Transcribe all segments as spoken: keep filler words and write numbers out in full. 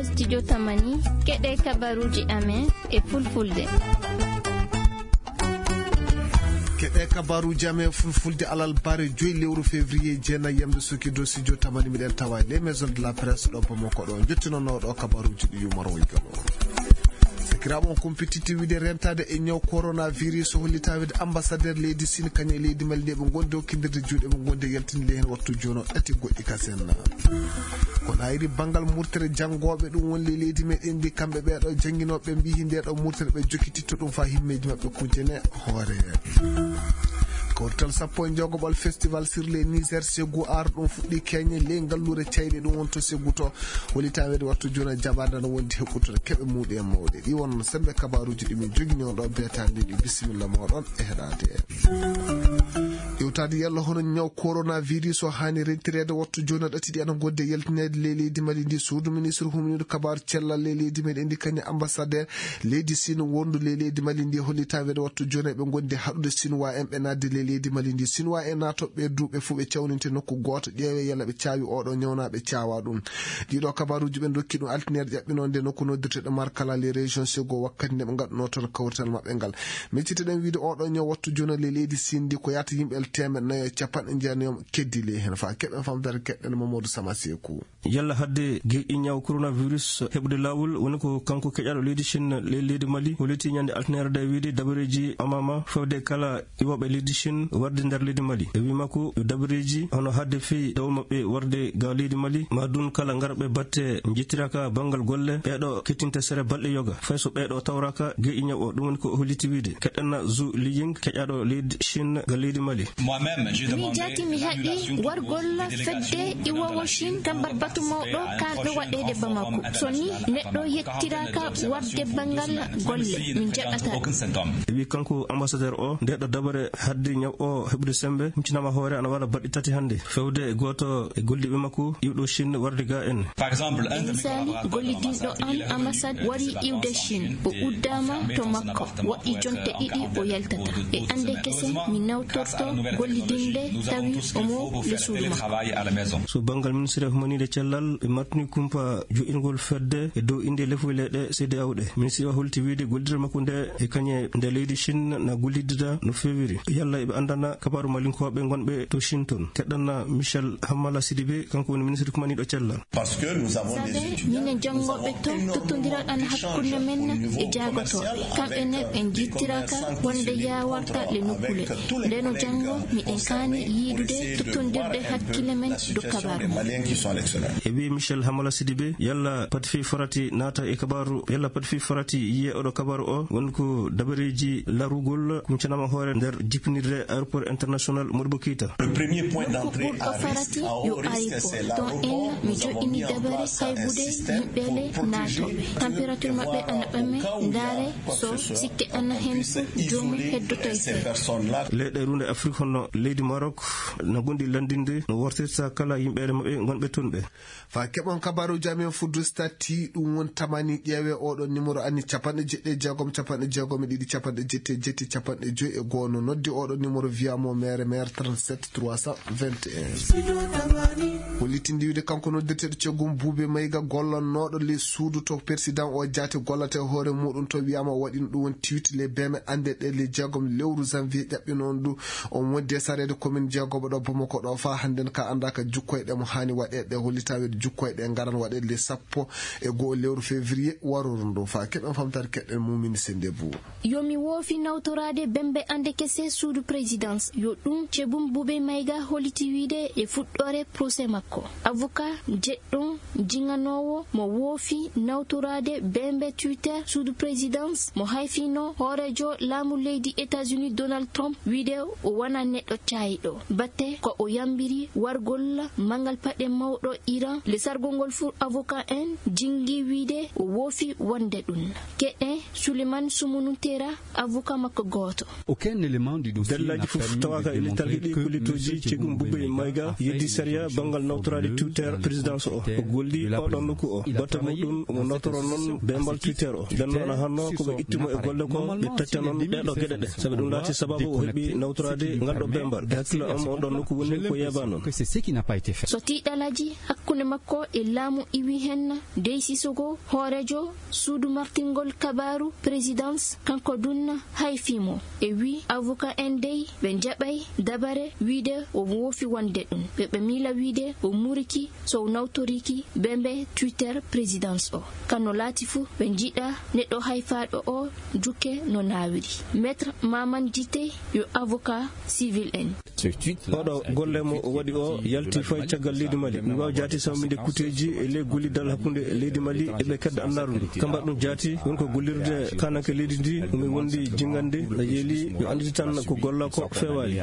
Studio Tamani, keɗe kabaruuji amen e fulfulde. Keɗe kabaruuji amen e fulfulde alarba joyi lewru février, jeenayi yamde suki dow studio Tamani, miɗen tawa e les maisons de la presse ɗo Bamako ɗo. Jottinono ɗo kabaruuji ɗi yumaro e galo. Sakiraaɓe, on kumpititti wiide rentaade e ñaw coronavirus, hollita wiide ambassadeur leydi Sine kañum e leydi Mali nde ɓe ngondi hokkindirde juuɗe, ɓe ngondi e yaltinde heen wattu jono ɗati goɗɗi kasen. Kono ayri banngal murtere janngooɓe ɗum woni le leydi meɗen ndi, kamɓe ɓeeɗo jannginooɓe mbiyi nde ɗo murtere ɓe jokkititto ɗum faa himmeeji maɓɓe kujene hoore. Kawrital sappo e jeegoɓal festival sur les Niger Ségou Art ɗum fuɗɗi keñe ley ngalluure cayɗe ɗum woni to Ségou to. Woni taweede wattu jooni e jaɓaade no wondi heɓɓutude keɓe muuɗi e mawɗe. Ɗi won sembe kabaruuji ɗi min jogini on ɗo beetaade ɗi. Bisimilla mooɗon e heɗaade en. Iwtaade yalla hono ñaw coronavirus o haani rentireede wattu jooni ɗati ɗi ana ngodde yaltineede ley leydi Mali ndi. Suudu ministre humniiɗo kabaaru cellal ley leydi meɗen ndi kañum ambassadeur leydi Sine wondu ley leydi Mali ndi holli taweede wattu jooni ɓe ngondi haɗude Sinwaa en ɓe naatde ley leydi Mali ndi. Sinwaa en naatooɓe duuɓe fof ɓe cawninte nokku gooto, ƴeewe yalla ɓe caawi oɗo ñawnaaɓe caawa ɗum. Ɗiɗo kabaruuji ɓe ndokki ɗum altineere ƴaɓɓinoonde nokku noddirteɗo Markala les régions Ségou wakkati nde ɓe ngaɗunoo toon kawrital maɓɓe ngal. Micciteɗen wiide oɗo ñaw wattu jooni ley leydi Sine ndi ko yahata yimɓe teemeɗɗe nayo e capanɗe jeenayo keddi ley heen. Faa keɓen famdare keɗɗen Mamadou Sama Seeku. Yalla hadde geƴƴi ñaw coronavirus heɓude laawol woni ko kanko keƴaaɗo leydi Chine ley leydi Mali holliti ñande altineere nde wiide dabareeji amama fewde kala iwooɓe leydi Chine warde nder leydi Mali. E wii makko yo dabareeji hono hadde fii tawa maɓɓe warde ga leydi Mali ma dun kala ngarɓe batte njettiraaka banngal golle ɓeeɗo kettinta sere balɗe yoga fay so ɓeeɗo tawraaka geƴƴi ñaw o. Ɗum woni ko o holliti wiide. Keɗɗen Zu Liying keƴaaɗo leydi Chine ga leydi Mali. Min jaati mi haɗi wargol fedde iwoowo Chine tambar batu mawɗo kaanɗo waɗeede Bamako. So ni neɗɗo yettiraaka warde banngal golle, min jaɓataa. E wi kanko ambassadeur o, nde ɗo dabare hadde ñaw o heɓude sembe, huccinaama hoore ana waɗa baɗɗi tati hannde. Fewde e gooto e golliiɓe makko iwɗo Chine warde ga en. E misaali, gollidinɗo am ambassade wari iwde Chine, o uddaama to makko, waɗi jonte ɗiɗi o yaltata. E annde kese mi nawtorto gollidinde tawi omo le suudu makko. So banngal ministre humaniiɗo cellal, ɓe martini kumpa jo'ingol fedde e dow innde lefoy leyɗe C D A O ɗe. Ministre o holti wiide gollidere makko nde e kañe nde leydi Chine na gollidida no feewiri. Yalla eɓe anndana kabaaru malinkooɓe ngonɓe to Chine toon. Keɗɗanna Michel Hamala Sidibé, kanko woni ministre humaniiɗo cellal. Sabe minen janngooɓe to tottondiral ana hakkunde men e jaagotooɓe. Kamɓe ne ɓe njittiraaka wonde yaawarta le nokkule. Ndeno janngo miɗen kaani yiidude tottondirde hakkille men dow kabaaru. E wi Michel Hamala Sidibé, yalla pati fii farati naata e kabaaru, yalla pati fii farati yiye oɗo kabaaru o, woni ko dabareeji larugol kumcanama hoore nder jippinirde aéroport international Modibo Keita. Nokku ɓurɗo farati yo aéroport. Toon en mi joɗɗini dabare haybude yimɓe le naatooɓe. Température maɓɓe ana ɓame, ndaare so sikke ana heen fof joomum heddoto e seeɗa. Leyɗe runde Afrik hono leydi Maroc na gondi lanndinde no wortirta kala yimɓeere maɓɓe ngonɓe toon ɓe. Faa keɓon kabaaruuji amen fuddu stati ɗum won tamani ƴeewe oɗo numéro ani capanɗe jeɗɗi e jeegom, capanɗe jeegom e ɗiɗi, capanɗe jetti e jetti, capanɗe joyi e goono. Noddi oɗo numéro via mo mere mere trente-sept trois cent vingt et un. Hollitinde wiide kanko noddirteeɗo ceggum Buube Mayga gollannooɗo le suudu to président o jaati gollata e hoore muɗum to wiyaama o waɗino ɗum won tiwti le beme annde ɗe le jeegom lewru janvier ƴaɓɓinoon ɗum. On wonde sareede commune jeegoɓo ɗo Bamako ɗo faa hannden ka annda ka jukkoyɗe mo haani waɗeede ɗe hollita wiide jukkoyɗe ngaran waɗeede le sappo e go'o lewru février waroru ndu. Faa keɓen famtaade keɗɗen Mumini Sende Bou. Yo mi woofi nawtoraade bembe annde kese suudu présidence. Yo ɗum ceggum Buube Mayga holliti wiide e fuɗɗoore procès makko. Avocat jeɗɗo jiŋanoowo mo woofi nawtoraade bembe Twitter suudu présidence mo hayfino hooreejo laamu leydi États-Unis Donald Trump wiide o wona neɗɗo caayiɗo. Batte ko o yambiri wargol manngal paɗe mawɗo Iran, le sargol ngol fur avocat en jingi wiide o woofi wonde ɗum. Keɗe Suleiman Sumunu Tera, avocat makko gooto. Dallaaji fof tawaaka e littal heɗi ko littooji ceggum Buube Mayga yeddi sariya banngal nawtoraade Twitter présidence o. O golli oɗon nokku o. Batte muɗum omo nawtoro noon bembal Twitter o. Nden noon hanno ko ɓe ittimo e golle ko ɓe tacca noon ɗeɗo geɗe ɗe. Sabi ɗum laati sababu o heɓi nawtoraade ngal ɗo Bembar, e hakkillo am, on ɗon nokku woni ko yeebaano. So tiiɗalaaji hakkunde makko e laamu iwi heen, Dey Sissoko, hooreejo suudu martingol kabaaru Présidence, kanko dunna hay fimo. E wi avocat en dey ɓe njaɓay dabare wiide o woofi wonde ɗum. Ɓe ɓe miila wiide o muriki so o nawtoriki bembe Twitter Présidence o. Kano laati fu, ɓe njiɗa neɗɗo hayfaaɗo o jukke no naawiri. Maître Maman Djité yo avocat civil en. Oɗo golle mo o waɗi o yalti fay caggal leydi Mali. Mi waawa jaati samminde kuteeji e ley gollidal hakkunde leydi Mali e ɓe kedda annaaru ndu. Kamba ɗum jaati won ko gollirde kananke leydi ndi, mi wondi jingande na yeeli yo annditi tan ko golla ko feewaali.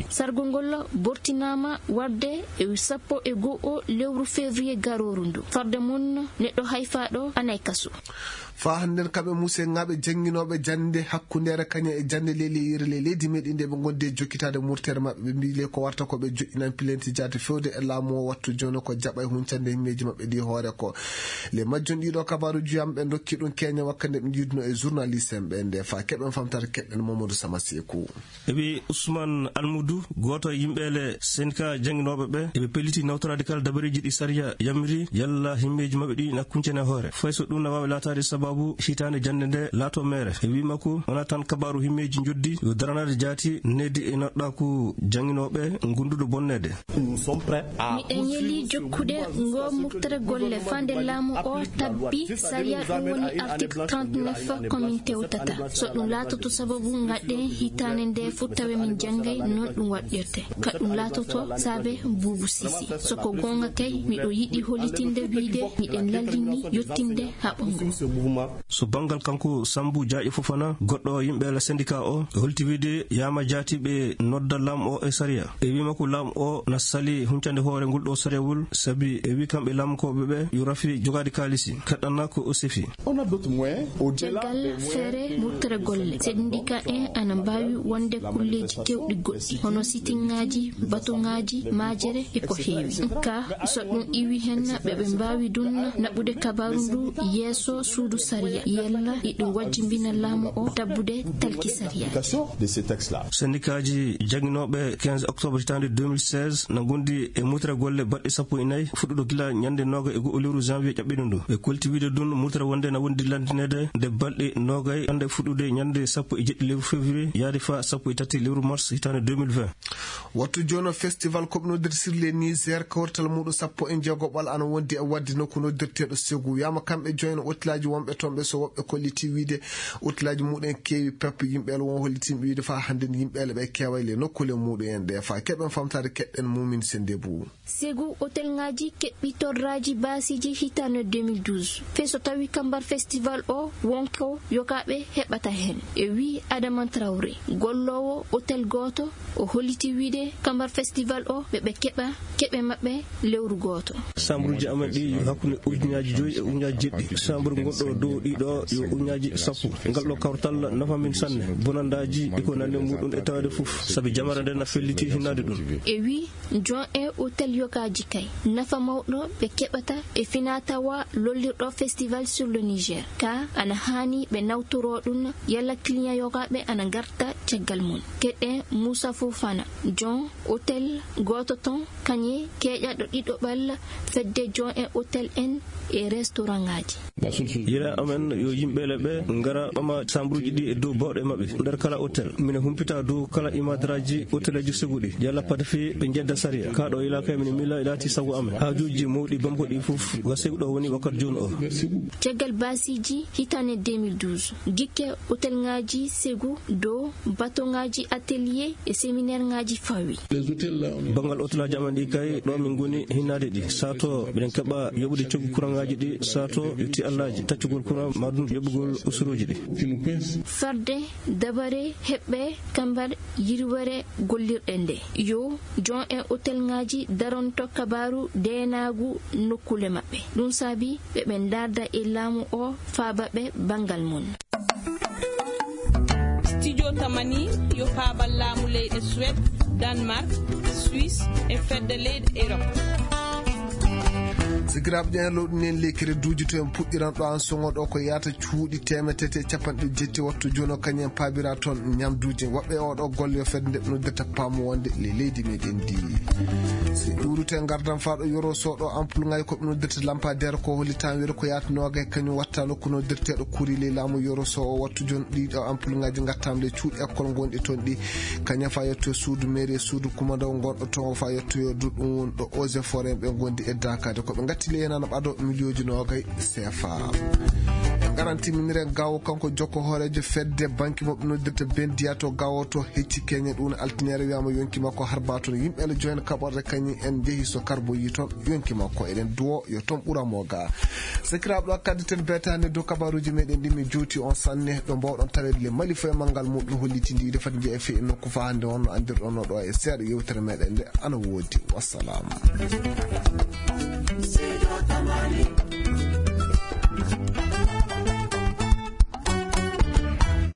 Sargo ngol bortinaama warde e sappo e go'o lewru février garooru ndu. Farde mum neɗɗo hayfaaɗo anay kaso. Faa hannden kamɓe Muuse Ŋaaɓe jannginooɓe jannde hakkundeere kañe e jannde ley leyre ley leydi meɗen nde ɓe ngondi e jokkitaade murtere maɓɓe, ɓe mbii le ko warta ko ɓe joƴƴinan pilenti jaati fewde e laamu o wattu jooni ko jaɓa e huncande himmeeji maɓɓe ɗi hoore ko. Le majjum ɗiɗo kabaaruuji yam ɓe ndokki ɗum keña wakkande ɓe njiiduno e journaliste en ɓe nde faa keɓen famtare keɓen Mamadou Sama Seeku. E wi Ousmane Almoudou, gooto e yimɓeele syndicat jannginooɓe ɓe, eɓe pelliti nawtoraade kala dabareeji ɗi sariya yamiri yalla himmeeji maɓɓe ɗi na kuncene hoore. Fay so ɗum na waawi laataade sababu hitaande jannde nde laato meere. E wi makko, wonaa tan kabaaru himmeeji njoddi, yo daranaade jaati needi e noɗɗaaku jannginooɓe ngunduɗo bonneede. Miɗen yeli jokkude ngo moftere golle fande laamu o tabbi sariya, ɗum woni article trente-neuf ko min tewtata. So ɗum laatoto sababu ngaɗɗen hitaande nde fof tawe min janngay noon ɗum waɗɗirte. Ka ɗum laatoto saabe Buubu Sisi. So ko goonga kay, miɗo yiɗi hollitinde wiide miɗen lallini yottinde haɓo ngo. So banngal kanko Sammbu Jaaƴe Fofana, goɗɗo yimɓe la syndicat o, holti wiide yaama jaati ɓe nodda laamu o e sariya. E wii makko laamu o na sali huncande hoore ngol ɗo sariyawol, sabi e wii kamɓe laamukooɓe ɓe yo rafi jogaade kaalisi, kaɗɗanna ko o sefi. Caggal feere murtere golle, syndicat en ana mbaawi wonde kulleeji keewɗi goɗɗi, hono sitingaaji, batoŋaaji, maajere e ko heewi. Ka so ɗum iwi hen, ɓe ɓe mbaawi ɗum naɓude kabaaru ndu yeeso suudu sariya, yalla iɗum wajjimbina laamu o tabbude talki sariya. Sendikaaji jannginooɓe quinze octobre hitaande deux mille seize na ngondi e murtere golle baɗɗe sappo e nayi, fuɗɗuɗo gila ñande noogay e go'o lewru janvier ƴaɓɓiɗo ndu. Ɓe kolti wiide ɗum murtere wonde na wondi landineede nde balɗe noogay, hannde fuɗɗude ñande sappo e jeɗɗi lewru février yaade fa sappo e tati lewru mars hitaande deux mille vingt. Wattu jooni o festival koɓnoodir sirle Niger, kawrital muuɗum sappo e jeegoɓal ana wondi e waɗde nokku noddirteeɗo Segu. Wiyaama kamɓe jooni otelaaji wonɓe toon ɓe, so woɓɓe kolliti wiide otelaaji muuɗum keewi pep, yimɓe won hollitinɓe wiide faa hannden yimɓe ɓe keeway le nokkuule muuɗum en ɗe. Faa keɓen famtaade keɗɗen Mumin Sendebou. Segu otelŋaaji keɓɓi torraaji baasiiji hitaande deux mille douze. Fee so tawi kambar festival o wonko yokaaɓe heɓata heen. E wii Adama Traoré, golloowo otel gooto, o holliti wiide kambar festival o ɓe ɓe keɓa keɓe maɓɓe lewru gooto. Sambruuji amen ɗi yo hakkunde ujunnaaji joyi e ujunnaaji jeɗɗi. Sambru ngonɗo dow ɗiɗo yo ujunnaaji sappo. Ngal ɗo kawtal nafa min sanne. Bonandaaji e ko nanndi muuɗum e taweede fof. Sabi jamara nde na felliti hinnaade ɗum. E wii Jon e otel yokaaji kay, nafa mawɗo ɓe keɓata e finaa-tawaa lollirɗo Festival sur le Niger. Ka ana haani ɓe nawtoroo ɗum, yalla client yokaaɓe ana ngarta caggal mum. Keɗe Moussa Fofana, jon otel gooto toon, kañe keeƴaɗo ɗiɗoɓal fedde jon e otel en e restaurantaaji. Yila amen yo yimɓe le ɓe ngara ɓama sambruuji ɗi e dow bawɗe maɓɓe nder kala otel. Mine humpita dow kala imadraji oteleji Segu ɗi. Yalla pata fii ɓe njedda sariya. Ka ɗo yila kay mine mila laati sago amen. Haajuuji mawɗi bamko ɗi fof wa Segu ɗo woni wakkati jooni o. Caggal baasiiji hitaande deux mille douze, gikke otelŋaaji Segu dow batoŋaaji atelier e séminaireŋaaji fawi. Banngal otelaaji amen ɗi kay, ɗo min ngoni hinnaade ɗi. Sato miɗen keɓa yoɓude coggu kuraŋaaji ɗi, sato yotti allaaji taccugol kuraŋ, maa ɗum yoɓugol usuruuji ɗi. Farde dabare heɓɓe kambar yirwere gollirɗe nde. Yo jon e otelŋaaji daronto kabaaru deenaagu nokkuule maɓɓe. Ɗum saabi ɓe ɓe ndaarda e laamu o faaba ɓe banngal mum. Studio Tamani yo faabal laamu leyɗe Suède, Danemark, Suisse e fedde leyɗe Europe. Sikiraaɓe ƴeeñal lowɗi nen lekere duuji to en puɗɗiran ɗo an soŋo ɗo ko yaata cuuɗi temetete e capanɗe jetti wattu jono kañum en paabira toon ñamduuji. Woɓɓe e oɗo golle yo fedde nde ɓe noddirta paamu wonde le leydi meɗen ndi. Si ɗuurute ngardam faa ɗo yoro so ɗo ampulŋaaji ko ɓe noddirta lampadaire ko holli tan wiyata ko yaata noogay kañum watta nokku noddirteeɗo kuri ley laamu yoro so o wattu jono ɗiɗo ampulŋaaji ngattaama le cuuɗi école ngonɗi toon ɗi. Kañum faa yetto suudu mairie suudu kumandaw ngonɗo toon o faa yetto yo duɗɗum won ɗo eaux et forêt ɓe ngondi e daakaade ko ɓe ngatti le yenana ɓado miliyooji noogay sefa. En ngaran timminire gawo kanko jokko hooreejo fedde banki mo ɓe noddirta bendiya to gawo to hecci keñe ɗum altinere wiyama yonki makko harba toon yimɓe ne joyen kaɓorde kañum en jehi so karboyi toon yonki makko eɗen duwo yo toon ɓura mo ga. Sakiraaɓe ɗo kaddi ten betaande dow kabaruuji meɗen ɗi mi juuti on sanne ɗo mbawɗon taweede le mali foye manngal muɗum holliti ndi defat njeeya fe nokku fa hannde on no anndirɗon no ɗo e seeɗa yewtere meɗen nde ana woodi. Wassalam.